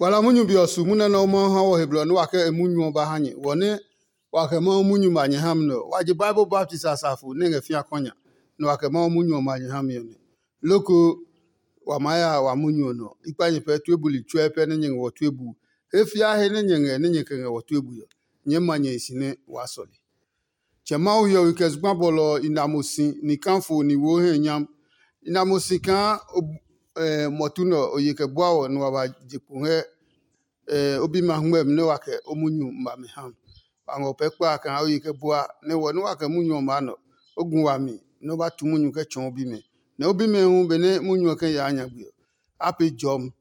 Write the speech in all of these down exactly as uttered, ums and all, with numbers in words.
Kpala munyu be ɔ su munyu nɛ Mawu ha wɔ he blɔ nɛ wa kɛ e munyu ɔ ba ha nyɛ. Wɔ nɛ wa kɛ Mawu munyu ma nyɛ ha mi nɛ ɔ, wa je Bible baptist a safo nɛ ngɛ fĩa kɔnya, nɛ wa kɛ Mawu munyu ɔ ma nyɛ ha mi ɔ nɛ. Loko wa maa ya wa munyu ɔ nɔ. I kpa nyɛ pɛ tue buli tsuɛ pɛ nɛ nyɛ ngɛ wɔ tue bu. He fia he nɛ nyɛ ngɛ nɛ nyɛ kɛ ngɛ wɔ tue bui ɔ, nyɛɛ ma nyɛ e si nɛ waa sɔle. Tsɛ Mawu hiɔwe kɛ zugba bɔlɔ ɔ i na mo si ni kafo ni wo hɛ nyam. I na mo si kaa mɔtu nɛ ɔ ye kɛ bua wɔ nɛ wa ba je kpo ngɛ o bimɛ a hungmɛmi nɛ wa kɛ o munyu ma mi ha. Wa ngɔ pɛ kpa kaa o ye kɛ bua nɛ wɔ nɛ wa kɛ munyu ɔ maa nɔ, o gu wami nɛ o ba tu munyu kɛ tsɔɔ o bimɛ. Nɛ o bimɛ hu benɛ munyu ɔ kɛ yaa nyagbe ɔ, a pee jɔmi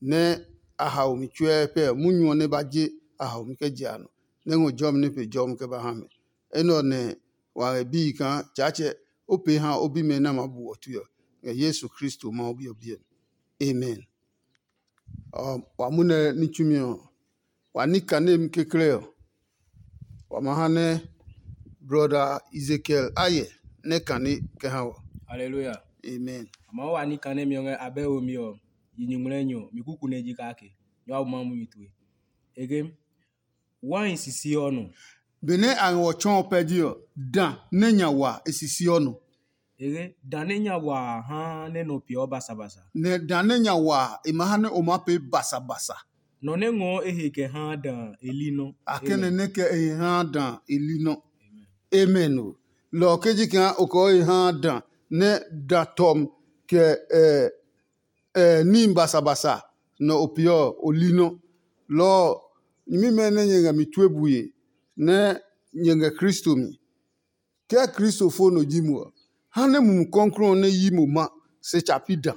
nɛ a hao mi tsuɛ pɛ munyu ɔ nɛ ba je a hao mi kɛ je a nɔ, nɛ ngɔ jɔmi nɛ pe jɔmi kɛ ba ha mɛ. Enɛ ɔ nɛ wa ngɛ bii kaa Tsaatsɛ o pee ha o bimɛ nɛ a maa bu wɔ tue ɔ, ngɛ Yesu Kristo Mawu Bi ɔ biɛ mi. Amen. Wa munɛ ní tsumi ɔ, wa ní kane mi kekle ɔ, wa ma ha nɛ brɔda Ezekiel a yɛ nɛ kane kɛ ha wɔ. Hallelujah. Amen. Ama wa ní kane mi ɔ ngɛ abɛ wo mi ɔ, yi nyuŋmlɛ nyɔ mi kuku nɛ ji kake nyɔ abu ma mu mi tue. Ege, wine sisi ɔ nɔ. Benɛ a ngɛ wɔ tsɔɔ pɛ ji ɔ, da nɛ nya wa e sisi ɔ nɔ. Ege, da nɛ nya wa a ha nɛ nɔ peeɔ basabasa. Nɛ da nɛ nya wa a, e ma ha nɛ o maa pee basabasa. Nɔ nɛ ngɔɔ e he kɛ haa da a, e li nɔ. A kɛnɛ nɛ kɛ e he haa da a, e li nɔ. Amen o. Lɔ ɔ ke ji kaa o kɔɔ he haa da nɛ da tɔmi kɛ ɛ ɛ níhi basabasa nɔ o peeɔ ɔ, o li nɔ. Lɔ ɔ, nyɛmimɛ nɛ nyɛ ngɛ mi tue bue nɛ nyɛ ngɛ Kristo mi. Ke Kristo fo nɔ ji mo ɔ, ha nɛ Mumi Klɔuklɔu ɔ nɛ yi mo ma se tsa pi da.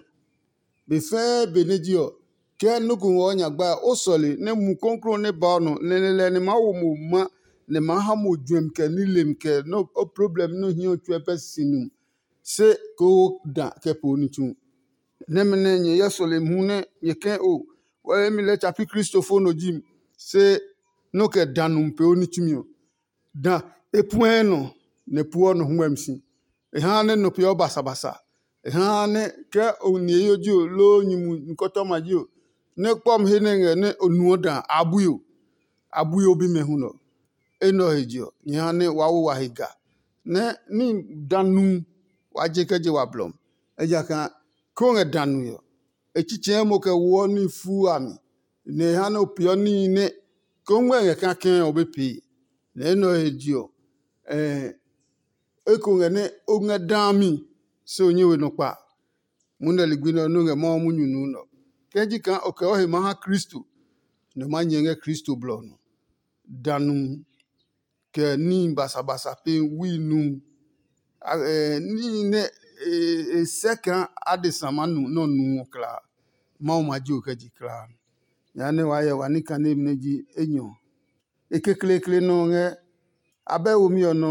Be fɛɛ be nɛ ji ɔ, ke nɔ́ ko ngɔ o nyagba ɔ, o sɔle nɛ Mumi Klɔuklɔu nɛ ba o nɔ nɛ lɛ nɛ maa wo mo ma nɛ maa ha mo juɛmi kɛ nilim kɛ o problem nɛ o hi ɔ tsuɛ pɛ sisi nu, se koo da kɛ po ní tsu. Nɛmɛ nɛ nyɛ hyɛ sɔlemi hu nɛ nyɛ kɛ̃ o, wɛ mi lɛɛ tsa pi Kristo fo nɔ ji mi, se nɔ́ kɛ da nu pee o ní tsumi ɔ. Da e puɛɛ nɔ, nɛ e pueɔ nɔ huɛmi si. E haa nɛ nɔ peeɔ basabasa. E haa nɛ ke o ni eyo ji o, loo nyumu nikɔtɔma ji o, nɛ kpɔmi he nɛ ngɛ nɛ o nuɔ da a bui o, a bui o bimɛ hu nɔ. Enɛ ɔ he je ɔ, nyɛ ha nɛ waa wo wa he ga, nɛ ní da nu wa je kɛ je wa blɔ mi. Ejakaa ke o ngɛ da nue ɔ, e tsitsɛɛ mo kɛ woɔ ní fuu a mi, nɛ e ha nɛ o peeɔ níhi nɛ ke o ngmɛ́ ngɛ kake ɔ, o be pee. Nɛ enɛ ɔ he je ɔ, eko ngɛ nɛ o ngɛ daa mi, se o nyɛ we nɔ kpa. Munɛ ligbi nɛ ɔ nɔ́ ngɛ Mawu munyu nuu nɛ ɔ. Ke ji kaa o kɛ o he maa ha Kristo, nɛ o maa nyɛ ngɛ Kristo blɔ ɔ nɔ. Danu kɛ níhi basabasa pe wui nu. Níhi nɛ e sɛ kaa adesa maa nu nɛ ɔ nu ɔ klaa, Mawu ma ji o kɛ je klaa. Jehanɛ waa hyɛ wa ní kanemi nɛ ji enyɔ. E kekleekle nɔ ɔ ngɛ abɛ womi ɔ nɔ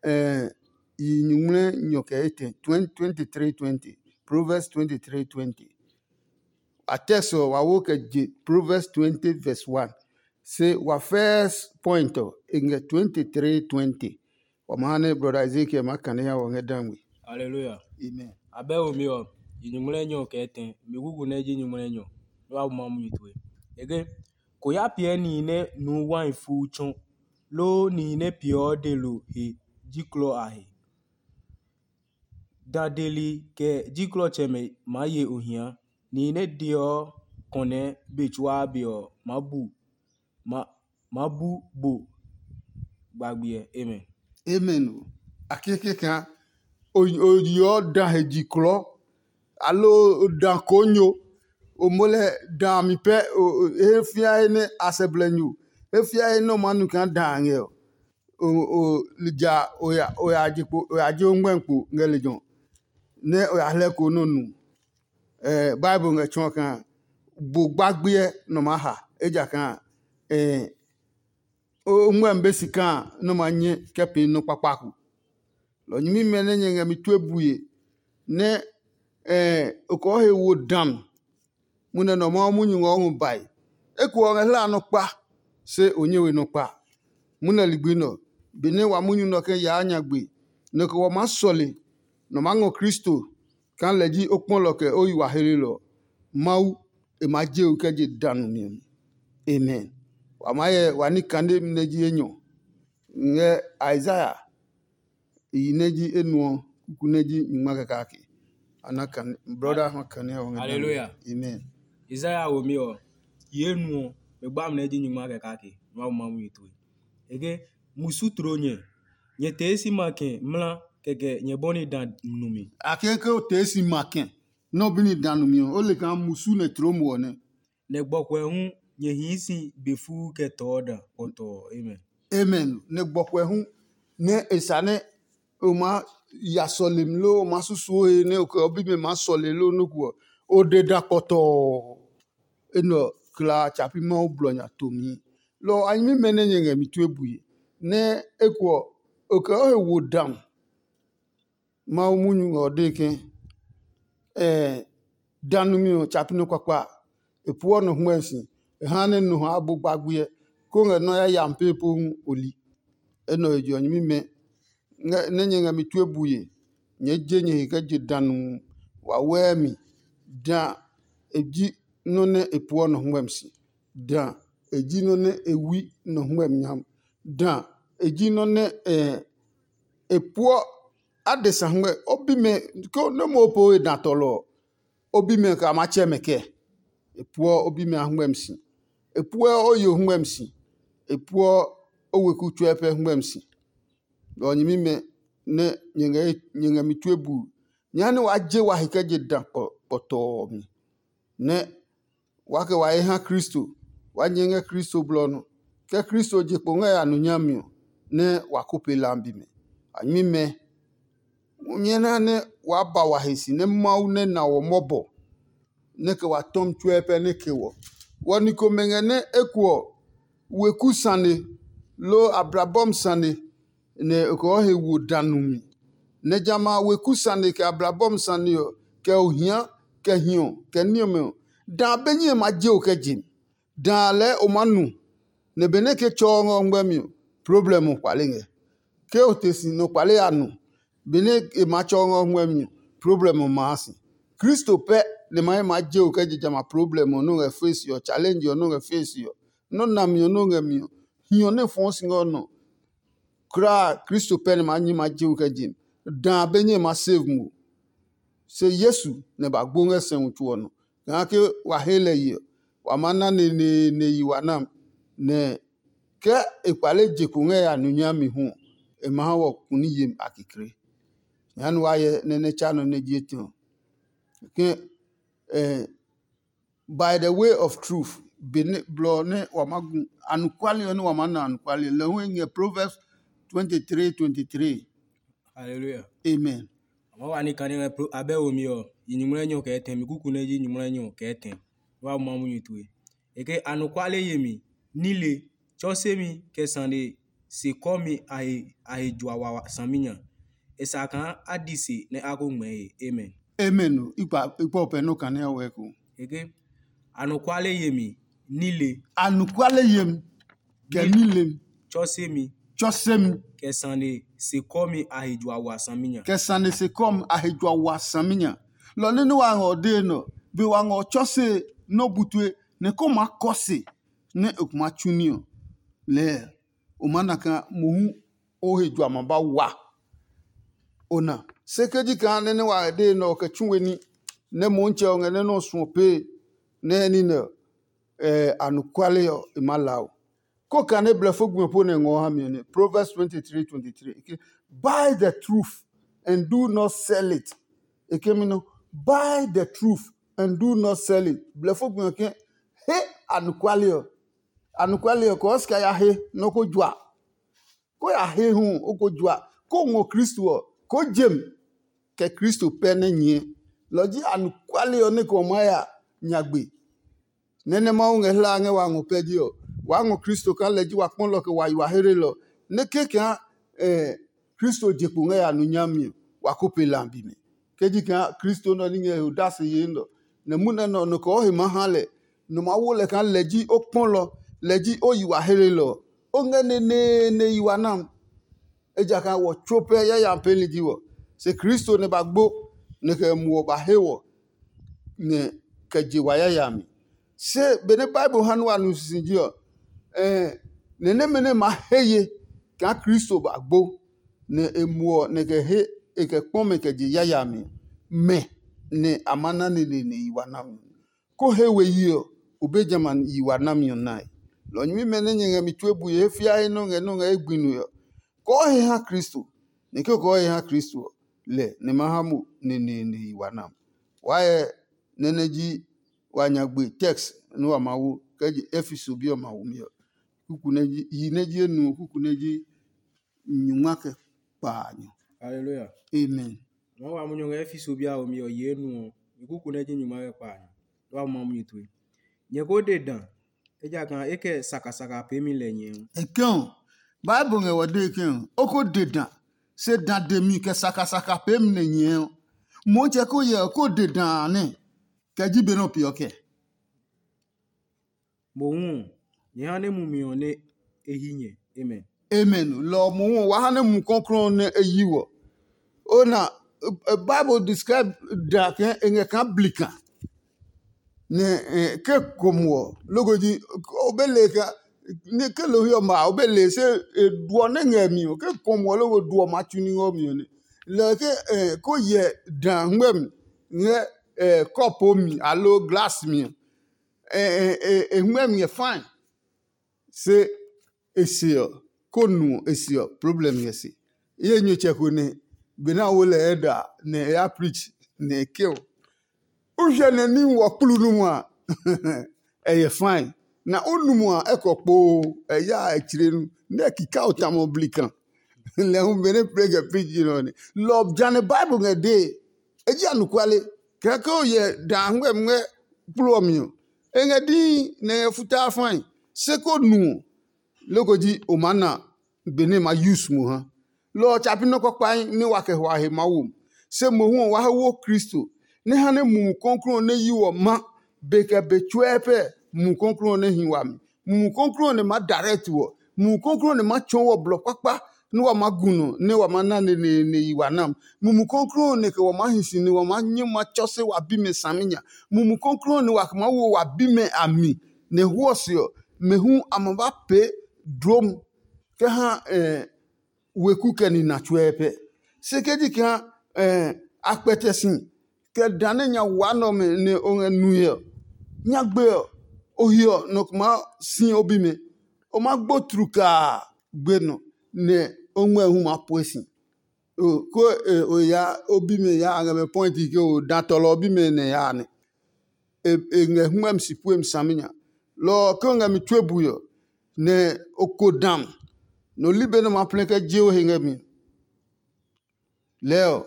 ɔ, yi nyuŋmlɛ nyɔ kɛ etɛ, twenty-three twenty, Proverbs twenty-three twenty. A text ɔ, wa wo kɛ je Proverbs twenty verse one. Se wa first point ɔ, e ngɛ twenty-three twenty. Wa ma ha nɛ brɔda Ezekiel maa kane ya wɔ ngɛ da ngmi. Hallelujah. Amen. Abɛ womi ɔ, yi nyuŋmlɛ nyɔ kɛ etɛ, mi kuku nɛ ji nyuŋmlɛ nyɔ, nɛ wa bu ma munyu tue. Ege, ko ya piɛ nihi nɛ nuu wai fuu tsɔ, loo nihi nɛ peeɔ delo he ji klɔ a he. Dadeli kɛ ji klɔtsɛmɛ maa ye ohia. Nihi nɛ deɔ kɔnɛ be tsuaa be ɔ maa bu maa bu bo gbagbiɛ. Amen. Amen o. A keke kaa o yeɔ da he ji klɔ, aloo o da konyo, o mo lɛ da mi pɛ, he fia he nɛ a sɛ blɛ nyo, he fia he nɛ o maa nu kaa da a ngɛ ɔ, o lija o ya je o ngmɛ kpo ngɛ lejɛ ɔ, nɛ o ya hlɛ ko nɛ o nu. Bible ngɛ tsɔɔ kaa bo gbagbiɛ nɔ maa ha, ejakaa o ngmɛmi be si kaa nɔ maa nyɛ kɛ pee nɔ́ kpakpaku. Lɔ nyɛmimɛ nɛ nyɛ ngɛ mi tue bue, nɛ o kɔɔ he wo dã mi, munɛ nɔ Mawu munyu ngɔ o ngɔ bae. Eko ɔ ngɛ hla nɔ kpa, se o nyɛ we nɔ kpa. Munɛ ligbi nɛ ɔ, benɛ wa munyu nɛ ɔ kɛ yaa nyagbe, nɛ ko wa maa sɔle, nɔ maa ngɔ Kristo kaa lɛ ji o kpɔlɔ kɛ o yi wa helelɔ. Mawu e maa je o kɛ je danu mi ɔ mi. Amen. Wa maa hyɛ wa ní kane nɛ ji enyɔ ngɛ Isaiah yi nɛ ji enuɔ kuku nɛ ji nyingma kɛ kake. Ana kane brother ha kane ɔ ngɛ. Hallelujah. Amen. Isaiah wo mi ɔ, yi enuɔ, me gba mi nɛ ji nyingma kɛ kake. Mawu ma mu yi tue. Eke musu tro nyɛ, nyɛ tee si ma kɛ mla kɛkɛ nyɛ bɔni da numi. A ke ke o tee si ma kɛ nɔ bi ni da numi ɔ, o le kaa musu nɛ tro mo ɔ nɛ. Nɛ gbɔkuɛ hu nyɛ hii si be fuu kɛ tɔɔ da kpɔtɔɔ. Amen. Amen. Nɛ gbɔkuɛ hu nɛ e sa nɛ o maa ya sɔlemi loo o maa susuo he nɛ o kɛ o bimɛ maa sɔle loo nɔku ɔ, o de da kpɔtɔɔ. Enɛ ɔ kla tsa pi Mawu blɔ nya tomi. Lɔ ɔ a nyɛmimɛ nɛ nyɛ ngɛ mi tue bue, nɛ eko ɔ, o kɛ o he wo dã. Mawu munyu ngɛ ɔ dee ke, dã numi ɔ tsa pi nɔ kpakpa a, e pueɔ nɔ hwɛe si, e ha nɛ nɔ ha a bu gbagbuɛ, kó ngɛ nɔ́ yayami pee po hu o li. Enɛ ɔ he je ɔ nyɛmimɛ nɛ nyɛ ngɛ mi tue bue, nyɛɛ je nyɛ he kɛ je dã nuu wawɛɛ mi. Dã e ji nɔ́ nɛ e pueɔ nɔ hwɛmi si. Dã e ji nɔ́ nɛ e wui nɔ hwɛmi nyami. Dã e ji nɔ́ nɛ e puɔ adesa hwɛ o bimɛ ko nɛ mo po e dã tɔlɔ ɔ, o bimɛ kɛ a maa tsɛ mɛ kɛ? E puɔ o bimɛ a hwɛmi si. E puɔ o yo hwɛmi si. E puɔ o weku tsuɛ pɛ hwɛmi si. Lɔ ɔ nyɛmimɛ nɛ nyɛ ngɛ mi tue buu. Nyɛɛ ha nɛ waa je wa he kɛ je dã kpɔtɔɔ mi, nɛ waa kɛ wa he ha Kristo, waa nyɛ ngɛ Kristo blɔ nɔ. Ke Kristo je kpo ngɛ ya nu nyami ɔ, nɛ wa ko pe lambi mɛ. A nyɛmimɛ, nyɛ na nɛ waa ba wa he si nɛ Mawu nɛ na wɔ mɔbɔ, nɛ kɛ wa tɔmi tsuɛ pɛ nɛ ke wɔ. Wɔ ni komɛ ngɛ nɛ eko ɔ, weku sane, loo ablabɔmi sane, nɛ e kɔɔ he wo dã nu mi. Nɛ jamɛ a weku sane kɛ ablabɔmi sane ɔ, kɛ ohia, kɛ hiɔ, kɛ ní ɔmɛ ɔ, dã be nyɛe ma je o kɛ je mi. Dã lɛɛ o maa nu, nɛ benɛ ke tsɔɔ ngɛ o ngmɛmi ɔ, problem ɔ kpale ngɛ. Ke o te si nɔ kpale ya nu, benɛ e maa tsɔɔ ngɛ o ngmɛmi ɔ, problem ɔ maa si. Kristo pɛ nɛ ma he maa je o kɛ je jamɛ a problem ɔ nɔ́ ngɛ fesi ɔ, challenge ɔ nɔ́ ngɛ fesi ɔ, nɔ́ nami ɔ nɔ́ ngɛ mi ɔ, hiɔ nɛ fɔɔ si ngɛ o nɔ. Kulaa Kristo pɛ nɛ ma nyi ma je o kɛ je mi. Dã be nyɛ ma save mo. Se Yesu nɛ ba gbo ngɛ sɛumi tso ɔ nɔ. Kaa ke wa he lɛ yi ɔ, wa maa na neneene yi wa nam, nɛ ke e kpale je ko ngɛ ya nu nyami hu ɔ, e ma ha wɔ kuni yemi a kekle. Jehanɛ wa hyɛ nɛ nɛ tsa nɔ nɛ ji etɛ ɔ. Ke by the way of truth, be ne blɔ nɛ wa ma gu anɔkuale ɔ nɛ wa ma na anɔkuale lɛ hu ngɛ Proverbs twenty three twenty three. Hallelujah. Amen. Ama wa ni kane ngɛ pro abɛ wo mi ɔ, yi nyuŋmlɛ nyɔ kɛ tɛ mi kuku nɛ ji nyuŋmlɛ nyɔ kɛ tɛ. Wa ma mu nyi tue. E ke anɔkuale yemi, nile, tsɔsemi kɛ sane se kɔmi a he a he jua wa saminya. E sa kaa a di se nɛ a ko ngmɛɛ he. Amen. Amen o. Ikpa ikpa o pɛ nɔ kane a wɛ ko. E ke anɔkuale yemi, nile, Anɔkuale yemi kɛ nilem tsɔsemi tsɔsemi kɛ sane se kɔmi a he jua wa saminya. Kɛ sane se kɔmi a he jua wa saminya. Lɔ nɛ nɛ wa ngɔ dee nɔ, be wa ngɔ tsɔse nɔ butue nɛ ko ma kɔ se nɛ o kuma tsu ní ɔ. Lɛɛ o maa na kaa mohu o he jua ma ba wa. O na se ke ji kaa nɛ nɛ wa ngɛ dee nɛ ɔ kɛ tsu we ní nɛ Motsɛ ɔ ngɛ nɛ nɛ ɔ suɔ pee nɛ ní nɛ anɔkuale ɔ e maa la o. Ko kane blɛfo gbi ɔ po nɛ ngɔ ha mi ɔ nɛ Proverbs twenty three twenty three, e ke, buy the truth and do not sell it. E ke mi nɔ, buy the truth and do not sell it. Blɛfo gbi ɔ ke, he anɔkuale ɔ. Anɔkuale ɔ kɔɔ sika ya he nɔ ko jua. Ko ya he hu o ko jua, ko ngɔ Kristo ɔ, ko jem kɛ Kristo pɛ nɛ nyɛɛ. Lɔ ji anɔkuale ɔ nɛ kɛ o maa ya nyagbe. Nɛ́ nɛ Mawu ngɛ hlaa ngɛ wa ngɔ pɛ ji ɔ, waa ngɔ Kristo kaa lɛ ji wa kpɔlɔ kɛ wa yi wa heelɔ, nɛ ke kaa Kristo je kpo ngɛ ya nu nyami ɔ, wa ko pe lambi mi. Ke ji kaa Kristo nɛ ɔ ní ngɛ he odase yee nɛ ɔ, nɛ munɛ nɛ ɔ nɔ kɛ o he maa ha lɛ, nɔ maa wo lɛ kaa lɛ ji o kpɔlɔ, lɛ ji o yi wa heelɔ ɔ, o ngɛ neneene yi wa nam. Ejakaa wɔ tsuo pɛ yayami peeli ji wɔ. Se Kristo nɛ ba gbo, nɛ kɛ muɔ ba he wɔ, nɛ kɛ je wa yayami. Se benɛ Bible ha nɛ wa nu sisiji ɔ, nɛ nɛmɛ nɛ maa he ye kaa Kristo ba gbo, nɛ e muɔ nɛ kɛ he e kɛ kpɔ mɛ kɛ je yayami, mɛ nɛ a ma na neneene yi wa nami. Ko he we yi ɔ, o be jamɛ a yi wa nami ɔ nae. Lɔ nyɛmimɛ nɛ nyɛ ngɛ mi tue bue he fia he nɔ́ ngɛ nɔ́ ngɛ ye gbi nue ɔ, kɔɔ he ha Kristo, nɛ ke o kɔɔ he ha Kristo ɔ, lɛ nɛ ma ha mo neneene yi wa nam. Waa hyɛ nɛ nɛ ji wa nya gbe text nɛ wa ma wo kɛ je Efeso bi ɔ ma wo mi ɔ. Kuku nɛ ji yi nɛ ji enu ɔ, kuku nɛ ji nyuma kɛ kpaanyɔ. Hallelujah. Amen. Nɔ́ wa munyu ngɛ Efeso bi a womi ɔ yi enu ɔ, mi kuku nɛ ji nyuma kɛ kpaanyɔ. Nɔ́ wa ma munyu tue. Nyɛ ko de dã, ejakaa e kɛ sakasaka peemi lɛ nyɛɛ ɔ. Ekɛ ɔ, Bible ngɛ wɔ dee ke ɔ, o ko de dã, se dã demi kɛ sakasaka peemi nɛ nyɛɛ ɔ. Motsɛ ko yɛ ɔ, ko de dã a nɛ, kɛ ji be nɔ peeɔ kɛ. Mohu ɔ, nyɛ ha nɛ mumi ɔ nɛ e hi nyɛ. Amen. Amen. Lɔ ɔ mohu ɔ, wa ha nɛ Mumi Klɔuklɔu ɔ nɛ e yi wɔ. O na, Bible describe dã kaa e ngɛ kaa blikan. Nɛ ke kom wɔ, loko ji o be le ka, nɛ ke lo hiɔ ma o be le se duɔ nɛ ngɛ mi ɔ, ke kom wɔ loko duɔ ma tsu ní ngɔ mi ɔ nɛ. Lɛ ke ko yɛ dã ngmɛmi ngɛ kɔpo mi alo glas mi ɔ, e ngmɛmi ngɛ fine. Se e se ɔ, ko nu ɔ, e se ɔ, problem ngɛ se. Ye nyutsɛ ko nɛ benɛ a wo lɛ ɛ da nɛ e ya preach nɛ e ke ɔ, o hyɛ nɛ ní wɔ kplu nu a, ɛ yɛ fine. Na o nu a, ɛ kɔ kpoo, ɛ ya ɛ tsire nu nɛ e kika o tamɔ blikan. Lɛ hu benɛ plɛ kɛ preach nɔ ne lɔ jane Bible ngɛ dee. E ji anɔkuale, kɛkɛ o yɛ da ngmɛmi ngɛ kplu ɔ mi ɔ, e ngɛ dii nɛ e ngɛ futaa fãi. Se ko nu ɔ, loko ji o maa na benɛ ma use mo ha. Lɔ ɔ tsa pi nɔ́ kpakpahi nɛ wa kɛ hwa he maa wo mi. Se mohu ɔ, wa he wo Kristo, nɛ ha nɛ Mumi Klɔuklɔu ɔ nɛ yi wɔ ma be kɛ be tsuɛ pɛ Mumi Klɔuklɔu ɔ nɛ hi wami. Mumi Klɔuklɔu ɔ nɛ maa direct wɔ. Mumi Klɔuklɔu ɔ nɛ maa tsɔɔ wɔ blɔ kpakpa nɛ wa maa gu nɔ nɛ wa maa na neneene yi wa nam. Mumi Klɔuklɔu ɔ nɛ kɛ wa maa hi si nɛ wa maa nyɛ ma tsɔ se wa bimɛ saminya. Mumi Klɔuklɔu ɔ nɛ wa kɛ maa wo wa bimɛ a mi, nɛ hwɔ se ɔ, mɛ hu a ma ba pee dlom kɛ ha weku kɛ nina tsuɛ pɛ. Se ke ji kaa a kpɛtɛ si kɛ dã nɛ nya waa nɛ ɔmɛ nɛ o ngɛ nue ɔ, nyagbe ɔ, o hiɔ nɔ ko maa si o bimɛ. O maa gbo tlukaa gbe nɔ, nɛ o ngmɛ hu maa pue si. Ko o ya o bimɛ ya a ngɛ mɛ pɔinti ke o dã tɔlɔ o bimɛ nɛ ya nɛ. E ngɛ hwɛmi si puemi saminya. Lɔ ɔ ke o ngɛ mi tue bui ɔ, nɛ o ko dam, nɛ o li be nɛ o ma plɛ kɛ je o he ngɛ mi. Lɛɛ ɔ,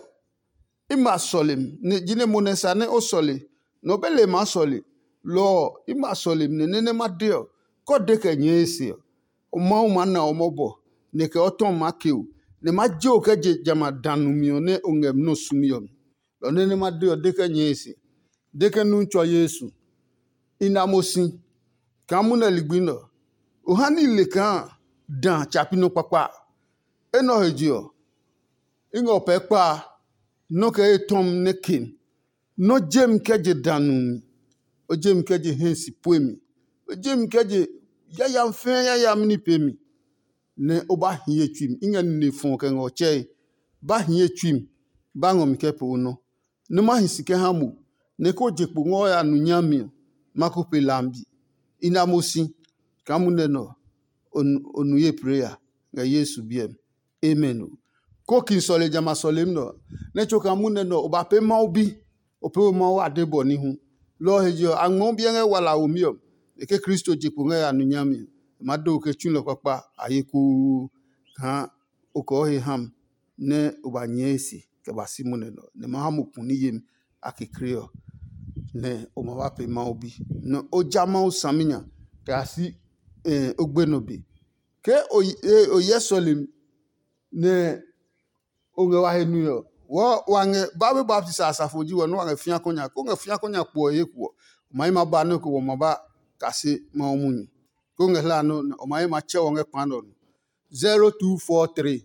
i ma sɔle mi, nɛ jinɛ mo nɛ sa nɛ o sɔle, nɛ o be le maa sɔle. Lɔ ɔ, i ma sɔle mi nɛ nɛ nɛ ma de ɔ, kɛ o de kɛ nyɛɛ e se ɔ, Mawu maa na o mɔbɔ, nɛ kɛ o tɔ maa ke o, nɛ ma je o kɛ je jamɛ a danu mi ɔ nɛ o ngɛ mi nɔ́ sumi ɔ mi. Lɔ nɛ nɛ ma de ɔ de kɛ nyɛɛ e se, de ke nu tsɔ Yesu. I na mo si kaa munɛ ligbi nɛ ɔ, o ha ní i le kaa dã tsa pi nɔ́ kpakpa. Enɛ ɔ he je ɔ, i ngɛ o pɛɛ kpa a, nɔ́ kɛ etɔmi nɛ ke mi. Nɔ́ je mi kɛ je danu mi, o je mi kɛ je hɛ si pue mi, o je mi kɛ je yayami fɛɛ yayami ní pee mi, nɛ o ba hi ye tsui mi. I ngɛ nine fɔ kɛ ngɛ ɔ tsɛe, ba hi ye tsui mi, ba ngɔ mi kɛ pee o nɔ. Nɛ ma hi si kɛ ha mo, nɛ ko je kpo ngɛ o ya nu nyami ɔ, ma ko pe lambi. I na mo si kaa munɛ nɛ ɔ, o nu ye preya ngɛ Yesu biɛ mi. Amen o. Ko ki sɔle jamɛ a sɔlemi nɛ ɔ, nɛ tso kaa munɛ nɛ ɔ, o ba pee Mawu bi, o pee we Mawu ade bɔ ní hu. Lɔ ɔ he je ɔ, a ngmɛɔ biɛ ngɛ wala womi ɔ, e ke Kristo je kpo ngɛ ya nu nyami ɔ, e maa de o kɛ tsulɔ kpakpa a ye kuu kaa o kɔɔ he ha mi nɛ o ba nyɛɛ e se kɛ ba si munɛ nɛ ɔ, nɛ ma ha mo ku ní yemi a kekle ɔ, nɛ o ma ba pee Mawu bi. Nɛ o ja Mawu saminya kɛ ya si o gbenɔ be. Ke o hyɛ sɔlemi nɛ o ngɛ wa he nue ɔ, wɔɔ wa ngɛ Bible baptisi a safo ji wɔ nɛ wa ngɛ fĩa kɔnya, ko ngɛ fĩa kɔnya kpo ɔ he kuɔ, o ma yi ma ba nɔ́ ko wɔ ma ba kase Mawu munyu. Ko ngɛ hla nɔ́ nɛ o ma yi ma tsɛ wɔ ngɛ kpa nɛ ɔ nɔ. zero two four three,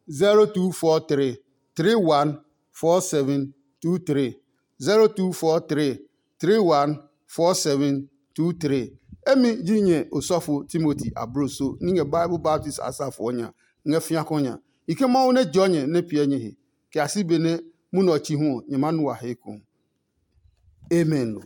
zero two four three, three one four seven two three, zero two four three, three one four seven two, three. Emi ji nyɛ osɔfo Timoti abloso ní ngɛ Bible baptist a sa fɔɔ nya ngɛ fiakɔ nya. I ke Mawu nɛ jɔ nyɛ nɛ piɛ nyɛ he, kɛ a si benɛ munɛ ɔ chi hu ɔ, nyɛ maa nu a he eko. Amen.